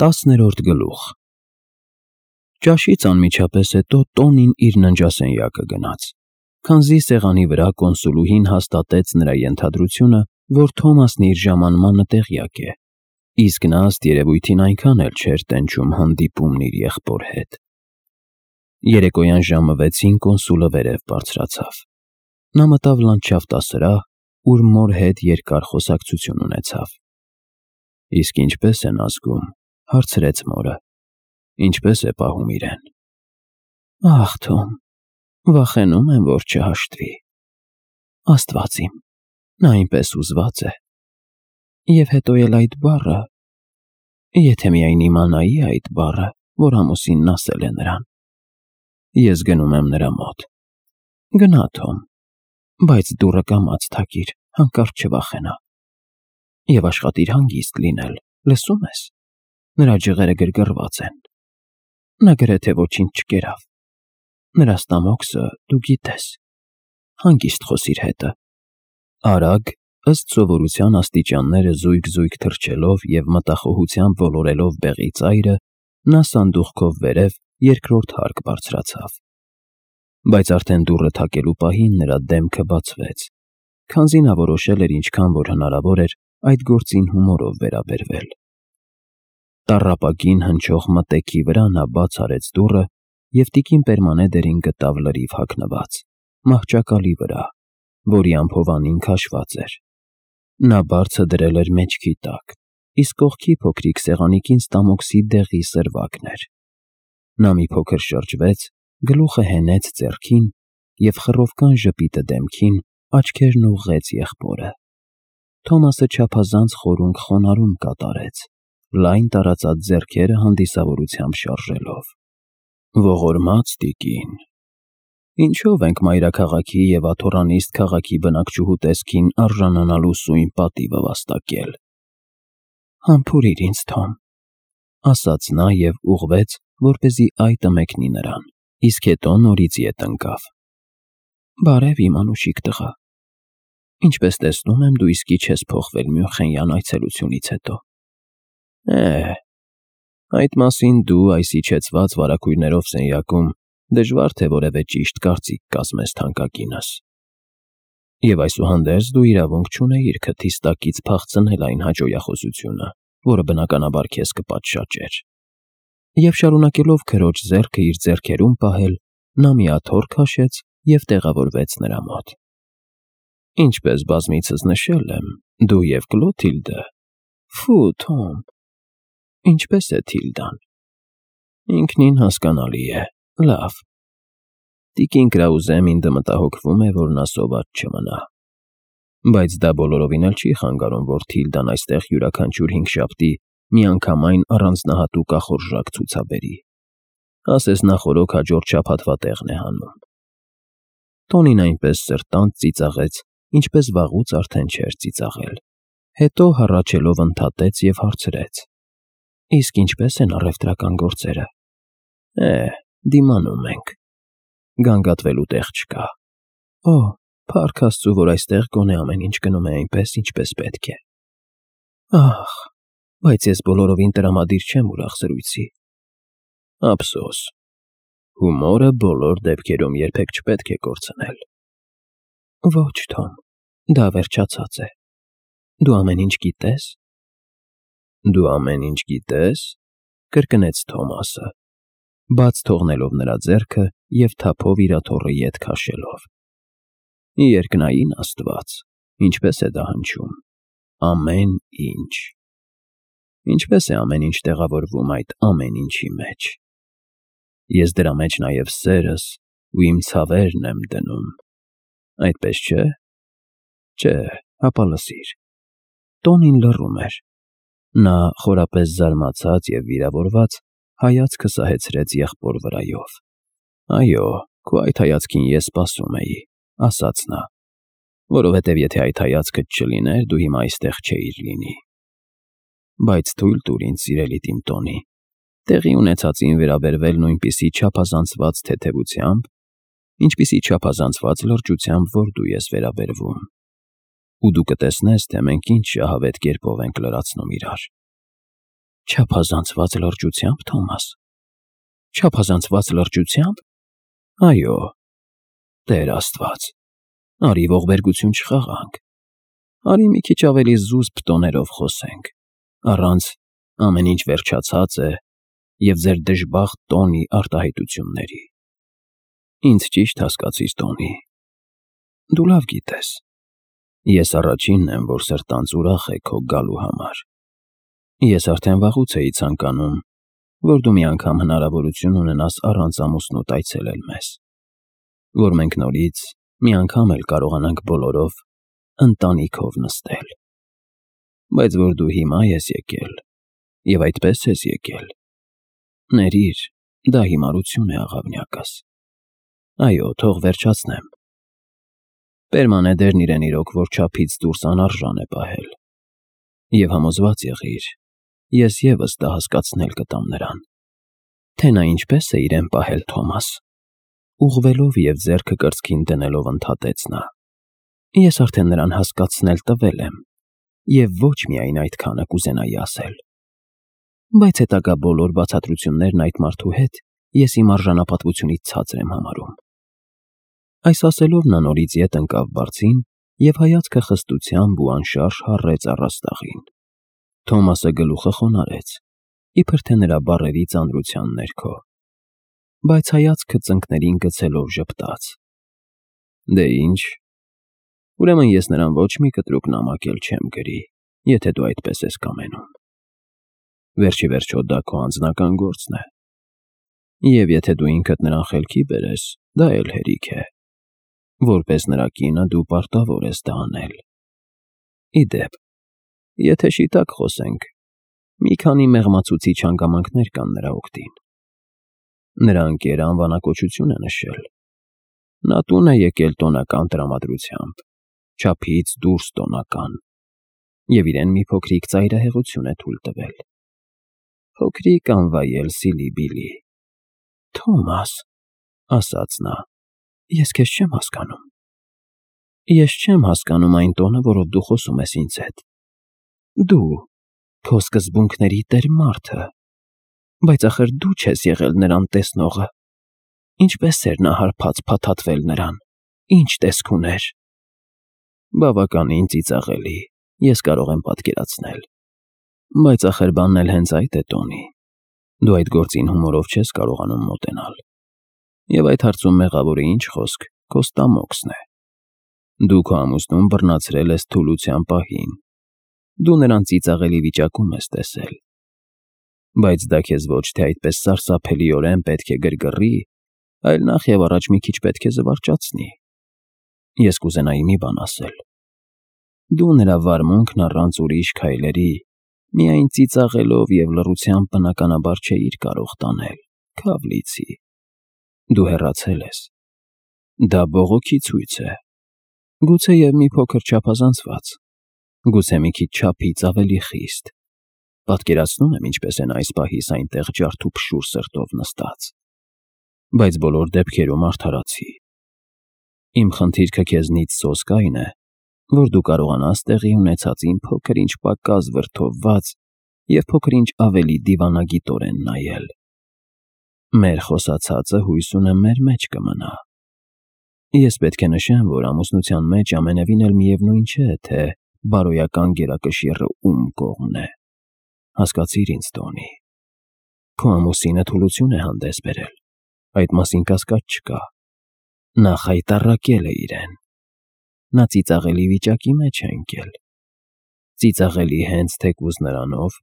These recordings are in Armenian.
10-րդ գլուխ Ճաշից անմիջապես հետո Տոնին իր ննջասենյակը գնաց, քանզի սեղանի վրա կոնսուլուհին հաստատեց նրա ենթադրությունը, որ Թոմասն իր ժամանմանը տեղյակ է, իսկ նա ըստ երևույթին այնքան էլ չէր տենչում հանդիպումն իր եղբոր հետ։ Երեկոյան ժամը 6-ին կոնսուլը վերև բարձրացավ։ Նա մտավ լանդշաֆտասրահ, ուր մոր հետ երկար խոսակցություն ունեցավ։ Իսկ ինչպես են ազգում, հարցրեց մորը, ինչպես է պահում իրեն։ Ախ, Թոմ, վախենում եմ, որ չհաշտվի։ Աստված իմ, նա այնպես ուզված է։ Եվ հետո էլ այդ բառը, եթե միայն իմանայի այդ բառը, որ ամուսինն ասել է նրան։ Ես գնում եմ նրա մոտ։ Գնա, Թոմ, բայց դուռը կամաց թակիր, հանկարծ չվախենա։ Եվ աշխատիր հանգիստ լինել, լսում ես։ Նրա ջղերը գրգռված են։ Նա գրեթե ոչինչ չկերավ։ Նրա ստամոքսը դու գիտես։ Հանգիստ խոսիր հետը։ Արագ, ըստ սովորության աստիճանները զույգ-զույգ թռչելով և մտախոհությամբ ոլորելով բեղի ծայրը, նա սանդուղքով վերև երկրորդ հարկ բարձրացավ։ Բայց արդեն դուռը թակելու պահին նրա դեմքը բացվեց, քանզի նա որոշել էր ինչքան որ հնարավոր էր այդ գործին հումորով վերաբերվել։ Տառապագին հնչող մտեքի վրա նա բաց արեց դուռը և տիկին Պերմանեդերին գտավ լրիվ հագնված, մահճակալի վրա, որի ամփովանին քաշված էր։ Նա բարձը դրել էր մեջքի տակ, իսկ կողքի փոքրիկ սեղանիկին ստամոքսի դեղի սրվակն էր։ Նա մի փոքր շրջվեց, գլուխը հենեց ձեռքին և խռովկան ժպիտը դեմքին, աչքերն ուղղեց եղբորը։ Թոմասը չափազանց խորունկ խոնարհում կատարեց, լայն տարածած ձեռքերը հանդիսավորությամբ շարժելով։ Ողորմած տիկին, ինչով ենք մայրաքաղաքի և աթոռանիստ քաղաքի բնակչուհու տեսքին արժանանալու սույն պատիվը վաստակել։ Համբուրիր ինձ, Թոմ, ասաց նա և ուղղվեց, որպեսզի այտը մեկնի նրան, իսկ հետո նորից ետ ընկավ։ Բարև, իմ անուշիկ տղա։ Ինչպես տեսնում եմ, դու իսկի չես փոխվել Մյունխենյան այցելությունից հետո։ Այդ մասին դու այս իջեցված վարագույրներով սենյակում դժվար թե որևէ ճիշտ կարծիք կազմես թանկագինս։ Եվ այսուհանդերձ դու իրավունք չունեիր քթիս տակից փախցնել այն հաճոյախոսությունը, որը բնականաբար քեզ կպատշաճեր։ Եվ շարունակելով քրոջ ձեռքը իր ձեռքերում պահել, նա մի աթոռ քաշեց և տեղավորվեց նրա մոտ։ Ինչպես բազմիցս նշել եմ, դու և Կլոթիլդը… Ֆու, Թոմ, ինչպես է Թիլդան։ Ինքնին հասկանալի է, լավ։ Տիկին Կրաուզեմինդը մտահոգվում է, որ նա սոված չմնա։ Բայց դա բոլորովին էլ չի խանգարում, որ Թիլդան այստեղ յուրաքանչյուր հինգշաբթի միանգամայն առանձնահատուկ ախորժակ ցուցաբերի։ Ասես նա խորոք հաջորդ շաբաթվա տեղն է հանում։ Տոնին այնպես սրտանց ծիծաղեց, ինչպես վաղուց արդեն չէր ծիծաղել։ Հետո հառաչելով ընդհատեց և հարցրեց. Իսկ ինչպես են առևտրական գործերը։ Դիմանում ենք։ Գանգատվելու տեղ չկա։ Փառք Աստծու, որ այստեղ գոնե ամեն ինչ գնում է այնպես, ինչպես պետք է։ Ախ, բայց ես բոլորովին տրամադիր չեմ ուրախ զրույցի։ Ափսոս։ Հումորը բոլոր դեպքերում երբեք չպետք է կորցնել։ Ոչ, Թոմ, դա վերջացած է։ Դու ամեն ինչ գիտես։ Դու ամեն ինչ գիտես, կրկնեց Թոմասը, բաց թողնելով նրա ձեռքը և թափով իր աթոռը ետ քաշելով։ Երկնային Աստված, ինչպես է դա հնչում։ Ամեն ինչ։ Ինչպես է ամեն ինչ տեղավորվում այդ ամեն ինչի մեջ։ Ես դրա մեջ նաև սերս ու իմ ցավերն եմ դնում։ Այդպես չէ։ Չէ, հապա լսիր։ Տոնին լռում էր։ Նա, խորապես զարմացած և վիրավորված, հայացքը սահեցրեց եղբոր վրայով։ Այո, քո այդ հայացքին ես սպասում էի, ասաց նա, որովհետև եթե այդ հայացքդ չլիներ, դու հիմա այստեղ չէիր լինի։ Բայց թույլ տուր ինձ, սիրելի իմ Տոնի, տեղի ունեցածին վերաբերվել նույնպիսի չափազանցված թեթևությամբ, ինչպիսի չափազանցված լրջությամբ, որ դու ես վերաբերվում։ Ու դու կտեսնես, թե մենք ինչ շահավետ կերպով ենք լրացնում իրար։ Չափազանցված լրջությամբ, Թոմաս։ Չափազանցված լրջությամբ։ Այո, Տեր Աստված, արի ողբերգություն չխաղանք։ Արի մի քիչ ավելի զուսպ տոներով խոսենք, առանց ամեն ինչ վերջացած է և ձեր դժբախտ տոնի արտահայտությունների։ Ինձ ճիշտ հասկացիր, Տոնի։ Դու լավ գիտես, ես առաջինն եմ, որ սրտանց ուրախ է քո գալու համար։ Ես արդեն վաղուց էի ցանկանում, որ դու մի անգամ հնարավորություն ունենաս առանց ամուսնուդ այցելել մեզ, որ մենք նորից մի անգամ էլ կարողանանք բոլորով ընտանիքով նստել։ Բայց որ դու հիմա ես եկել, և այդպես ես եկել, ներիր, դա հիմարություն է, աղավնյակս։ Այո, թող վերջացնեմ։ Պերմանեդերն իրեն իրոք, որ չափից դուրս անարժան է պահել։ Եվ համոզված եղիր, ես ևս դա հասկացնել կտամ նրան, թե նա ինչպես է իրեն պահել, Թոմաս։ Ուղղվելով և ձեռքը կրծքին դնելով ընդհատեց նա. Ես արդեն նրան հասկացնել տվել եմ, և ոչ միայն այդքանը կուզենայի ասել։ Բայց հետագա բոլոր բացատրություններն այդ մարդու հետ ես իմ արժանապատվությունից ցածր եմ համարում։ Այս ասելով նա նորից ետ ընկավ բարձին և հայացքը խստությամբ ու անշարժ հառեց առաստաղին։ Թոմասը գլուխը խոնարհեց, իբր թե նրա բառերի ծանրության ներքո, բայց հայացքը ծնկներին գցելով ժպտաց. Դե ինչ, ուրեմն ես նրան ոչ մի կտրուկ նամակ էլ չեմ գրի, եթե դու այդպես ես կամենում։ Վերջ ի վերջո դա քո անձնական գործն է։ Եվ եթե դու ինքդ նրան խելքի բերես, դա էլ հերիք է։ Որպես նրա կինը դու պարտավոր ես դա անել։ Ի դեպ, եթե շիտակ խոսենք, մի քանի մեղմացուցիչ հանգամանքներ կան նրա օգտին։ Նրա ընկերը անվանակոչություն է նշել։ Նա տուն է եկել տոնական տրամադրությամբ, չափից դուրս տոնական, և իրեն մի փոքրիկ ծայրահեղություն է թույլ տվել։ Փոքրիկ անվայել Սիլի-Բիլի։ Թոմաս, ասաց նա, ես քեզ չեմ հասկանում։ Ես չեմ հասկանում այն տոնը, որով դու խոսում ես ինձ հետ։ Դու, քո սկզբունքների տեր մարդը, բայց ախր դու չես եղել նրան տեսնողը։ Ինչպես էր նա հարբած փաթաթվել նրան, ինչ տեսք ուներ։ Բավականին ծիծաղելի, ես կարող եմ պատկերացնել։ Բայց ախր բանն էլ հենց այդ է, Տոնի։ Դու այդ գործին հումորով չես կարողանում մոտենալ։ Եվ այդ հարցում մեղավորը ինչ խոսք, քո ստամոքսն է։ Դու քո ամուսնուն բռնացրել ես թուլության պահին։ Դու նրան ծիծաղելի վիճակում ես տեսել։ Բայց դա քեզ ոչ թե այդպես սարսափելիորեն պետք է գրգռի, այլ նախ և առաջ մի քիչ պետք է զվարճացնի։ Ես կուզենայի մի բան ասել։ Դու նրա վարմունքն առանց ուրիշ քայլերի, միայն ծիծաղելով և լռությամբ բնականաբար չէիր կարող տանել, քավ լիցի։ Դու հեռացել ես։ Դա բողոքի ցույց է։ Գուցեև մի փոքր չափազանցված, գուցե մի քիչ չափից ավելի խիստ։ Պատկերացնում եմ ինչպես են այս պահիս այնտեղ ջարդուփշուր սրտով նստած։ Բայց բոլոր դեպքերում արդարացի։ Իմ խնդիրքը քեզնից սոսկ այն է, որ դու կարողանաս տեղի ունեցածին փոքր-ինչ պակաս վրդովված և փոքր-ինչ ավելի դիվանագիտորեն նայել։ Մեր խոսացածը հույս ունեմ մեր մեջ կմնա։ Ես պետք է նշեմ, որ ամուսնության մեջ ամենևին էլ միևնույն չէ, թե բարոյական գերակշիռը ում կողմն է։ Հասկացիր ինձ, Տոնի։ Քո ամուսինը թուլություն է հանդես բերել, այդ մասին կասկած չկա։ Նա խայտառակել է իրեն։ Նա ծիծաղելի վիճակի մեջ է ընկել։ Ծիծաղելի հենց թեկուզ նրանով,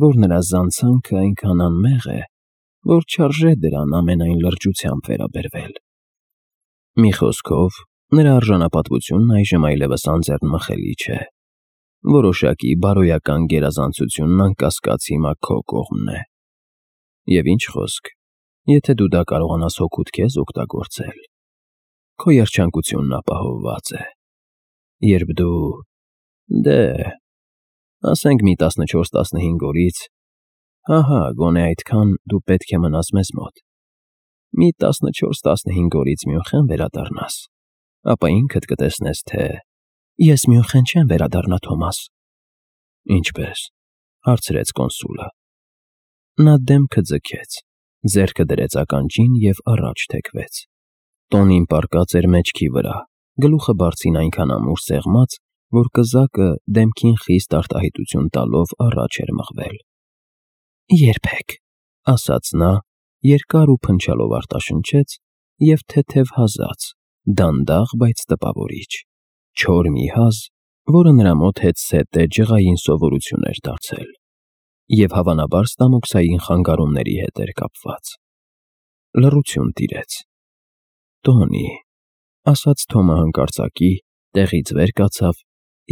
որ նրա զանցանքը այնքան անմեղ է, որ չարժե դրան ամենայն լրջությամբ վերաբերվել։ Մի խոսքով, նրա արժանապատվությունն այժմ այլևս անձեռնմխելի չէ։ Որոշակի բարոյական գերազանցությունն անկասկած հիմա քո կողմն է։ Եվ ինչ խոսք, եթե դու դա կարողանաս հօգուտ քեզ օգտագործել, քո երջանկությունն ապահովված է։ Երբ դու, դե, ասենք մի 14-15 օրից, հահա, գոնե այդքան դու պետք է մնաս մեզ մոտ, մի 14-15 օրից Մյունխեն վերադառնաս, ապա ինքդ կտեսնես, թե… Ես Մյունխեն չեմ վերադառնա, Թոմաս։ Ինչպե՞ս, հարցրեց կոնսուլը։ Նա դեմքը ձգեց, ձեռքը դրեց ականջին և առաջ թեքվեց։ Տոնին պառկած էր մեջքի վրա, գլուխը բարձին այնքան ամուր սեղմած, որ կզակը դեմքին խիստ արտահայտություն տալով առաջ էր մղվել։ «Երբեք», ասաց նա, երկար ու փնչալով արտաշնչեց և թեթև հազաց, դանդաղ, բայց տպավորիչ, չոր մի հազ, որը նրա մոտ հետզհետե ջղային սովորություն էր դարձել և հավանաբար ստամոքսային խանգարումների հետ էր կապված։ Լռություն տիրեց։ «Տոնի», ասաց Թոմը հանկարծակի, տեղից վեր կացավ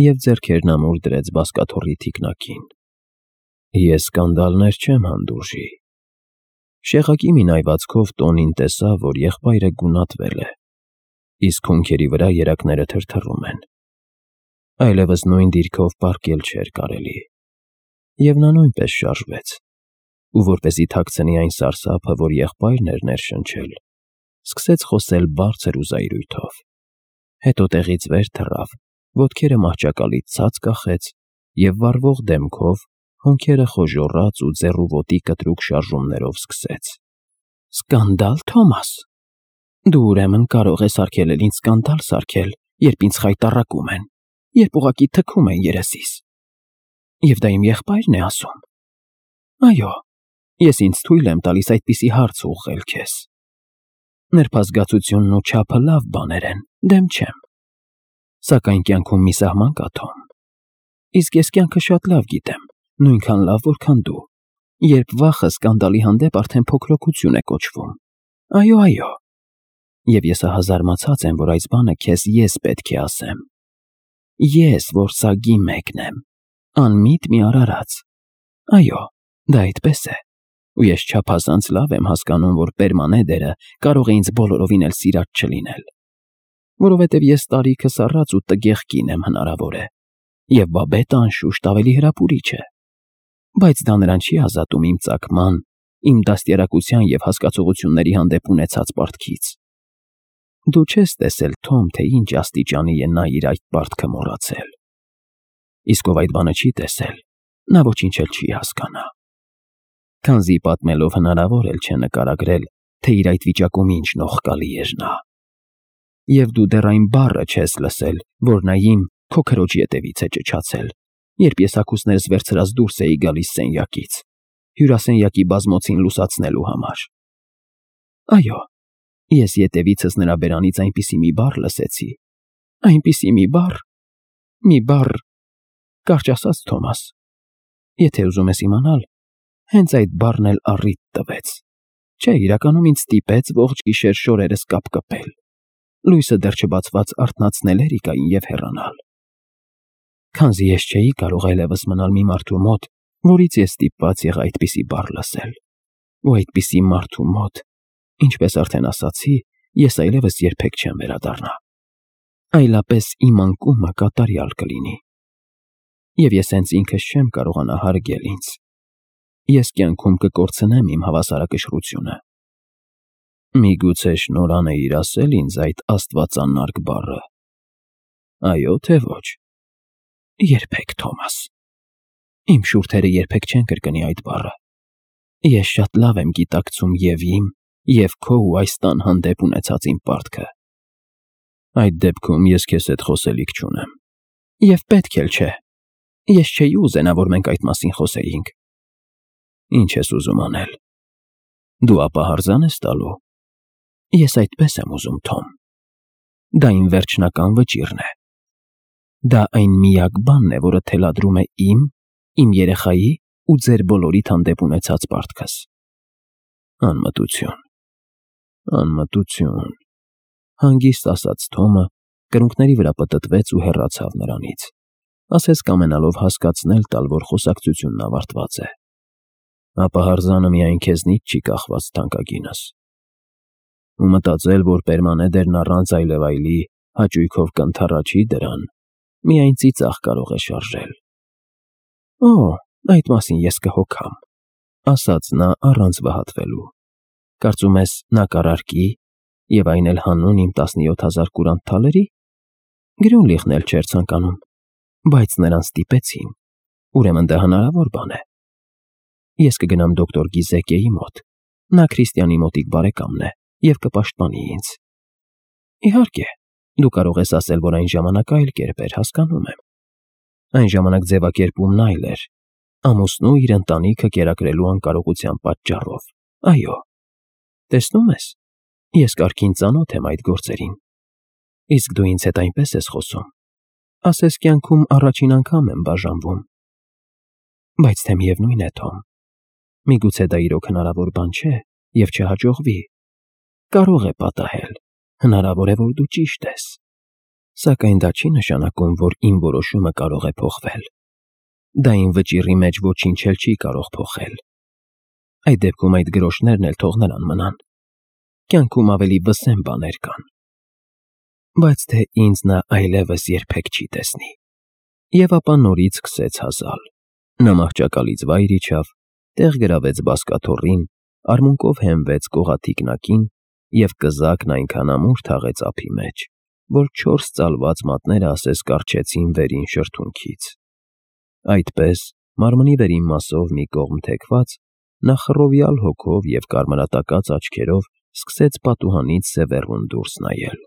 և ձեռքերն ամուր դրեց բազկաթոռի թիկնակին։ «Ես սկանդալներ չեմ հանդուրժի»։ Շեղակի մի նայվածքով Տոնին տեսավ, որ եղբայրը գունատվել է, իսկ հունքերի վրա երակները թրթռում են։ Այլևս նույն դիրքով պառկել չէր կարելի։ Եվ նա նույնպես շարժվեց, ու որպեսզի թաքցնի այն սարսափը, որ եղբայրն էր ներշնչել, սկսեց խոսել բարձր ու զայրույթով։ Հետո տեղից վեր թռավ, ոտքերը մահճակալից ցած կախեց և վառվող դեմքով, հոնքերը խոժոռած ու ձեռ ու ոտի կտրուկ շարժումներով սկսեց. «Սկանդալ, Թոմաս, դու ուրեմն կարող ես արգելել ինձ սկանդալ սարքել, երբ ինձ խայտառակում են, երբ ուղղակի թքում են երեսիս։ Եվ դա իմ եղբայրն է ասում։ Այո, ես ինձ թույլ եմ տալիս այդպիսի հարց ուղղել քեզ։ Նրբազգացությունն ու չափը լավ բաներ են, դեմ չեմ։ Սակայն կյանքում մի սահման կա, Թոմ։ Իսկ ես կյանքը շատ լավ գիտեմ, նույնքան լավ, որքան դու, երբ վախը սկանդալի հանդեպ արդեն փոքրոքություն է կոչվում։ Այո, այո։ Եվ ես ահազարմացած եմ, որ այս բանը քեզ ես պետք է ասեմ։ Ես, որ սագի մեկն եմ, անմիտ մի արարած։ Այո, դա այդպես է, ու ես չափազանց լավ եմ հասկանում, որ Պերմանեդերը կարող է ինձ բոլորովին էլ սիրած չլինել, որովհետև ես տարիքս առած ու տգեղ կին եմ հնարավոր է, և Բաբետը անշուշտ ավելի հրապուրիչ է, բայց դա նրան չի ազատում իմ ծագման, իմ դաստիարակության և հասկացողությունների հանդեպ ունեցած պարտքից։ Դու չես տեսել, Թոմ, թե ինչ աստիճանի է նա իր այդ պարտքը մոռացել։ Իսկ ով այդ բանը չի տեսել, նա ոչինչ էլ չի հասկանա։ Քանզի պատմելով հնարավոր էլ չէ նկարագրել, թե իր այդ վիճակում ինչ նողկալի էր նա։ Եվ դու դեռ այն բառը չես լսել, որ նա քո քրոջ ետևից է ճչացել, երբ ես հագուստներս վերցրած դուրս էի գալիս սենյակից, հյուրասենյակի բազմոցին լուսացնելու համար։ Այո, ես ետևիցս նրա բերանից այնպիսի մի բառ լսեցի, այնպիսի մի բառ, կարճ ասած, Թոմաս, եթե ուզում ես իմանալ, հենց այդ բառն էլ առիթ տվեց։ Չէ, իրականում ինձ ստիպեց ողջ գիշեր շորերս կապկպել, լույսը դեռ չբացված արթնացնել Էրիկային և հեռանալ։ Քանզի ես չէի կարող այլևս մնալ մի մարդու մոտ, որից ես ստիպված եղա այդպիսի բառ լսել, ու այդպիսի մարդու մոտ, ինչպես արդեն ասացի, ես այլևս երբեք չեմ վերադառնա։ Այլապես իմ անկումը կատարյալ կլինի։ Եվ ես հենց ինքս չեմ կարողանա հարգել ինձ։ Ես կյանքում կկորցնեմ իմ հավասարակշռությունը։ Միգուցե շնորհանեիր ասել ինձ այդ աստվածանարգ բառը։ Այո, թե ոչ։ Երբեք, Թոմաս։ Իմ շուրթերը երբեք չեն կրկնի այդ բառը։ Ես շատ լավ եմ գիտակցում և իմ, և քո ու այս տան հանդեպ ունեցած իմ պարտքը։ Այդ դեպքում ես քեզ հետ խոսելիք չունեմ։ Եվ պետք էլ չէ։ Ես չէի ուզենա, որ մենք այդ մասին խոսեինք։ Ինչ ես ուզում անել։ Դու ապահարզան ես տալու։ Ես այդպես եմ ուզում, Թոմ։ Դա իմ վերջնական վճիռն է։ Դա այն միակ բանն է, որը թելադրում է իմ երեխայի ու ձեր բոլորիդ հանդեպ ունեցած պարտքս։ Անմտություն, անմտություն, հանգիստ ասաց Թոմը, կրունկների վրա պտտվեց ու հեռացավ նրանից, ասես կամենալով հասկացնել տալ, որ խոսակցությունն ավարտված է։ Ապահարզանը միայն քեզնից չի կախված, թանկագինս։ Ու մտածել, որ Պերմանեդերն առանց այլևայլի հաճույքով կընդառաջի դրան, միայն ծիծաղ կարող է շարժել։ Օ, այդ մասին ես կհոգամ, ասաց նա առանց վհատվելու։ Կարծում ես նա կառարկի, և այն էլ հանուն իմ 17,000 կուրանտ թալերի։ Գրյունլիխն էլ չէր ցանկանում, բայց նրան ստիպեցին, ուրեմն դա հնարավոր բան է։ Ես կգնամ դոկտոր Գիզեկեի մոտ։ Նա Քրիստիանի մոտիկ բարեկամն է և կպաշտպանի ինձ։ Իհարկե, դու կարող ես ասել, որ այն ժամանակ այլ կերպ էր, հասկանում եմ։ Այն ժամանակ ձևակերպումն այլ էր, ամուսնու իր ընտանիքը կերակրելու անկարողության պատճառով։ Այո, տեսնում ես, ես կարգին ծանոթ եմ այդ գործերին։ Իսկ դու ինձ հետ այնպես ես խոսում, ասես կյանքում առաջին անգամ եմ բաժանվում։ Բայց թե միևնույն է, Թոմ, միգուցե դա իրոք հնարավոր բան չէ և չհաջողվի։ Կարող է պատահել, հնարավոր է, որ դու ճիշտ ես։ Սակայն դա չի նշանակում, որ իմ որոշումը կարող է փոխվել։ Դա իմ վճիռի մեջ ոչինչ էլ չի կարող փոխել։ Այդ դեպքում այդ գրոշներն էլ թող նրան մնան։ Կյանքում ավելի վսեմ բաներ կան։ Բայց թե ինձ նա այլևս երբեք չի տեսնի։ Եվ ապա նորից սկսեց հազալ։ Նա մահճակալից վայր իջավ, տեղ գրավեց բազկաթոռին, արմունկով հենվեց կողաթի կնակին և կզակն այնքան ամուր թաղեց ափի մեջ, որ 4 ծալված մատները ասես կառչեցին վերին շրթունքից։ Այդպես, մարմնի վերին մասով մի կողմ թեքված, նա խռովյալ հոգով և կարմրատակած աչքերով սկսեց պատուհանից սևեռուն դուրս նայել։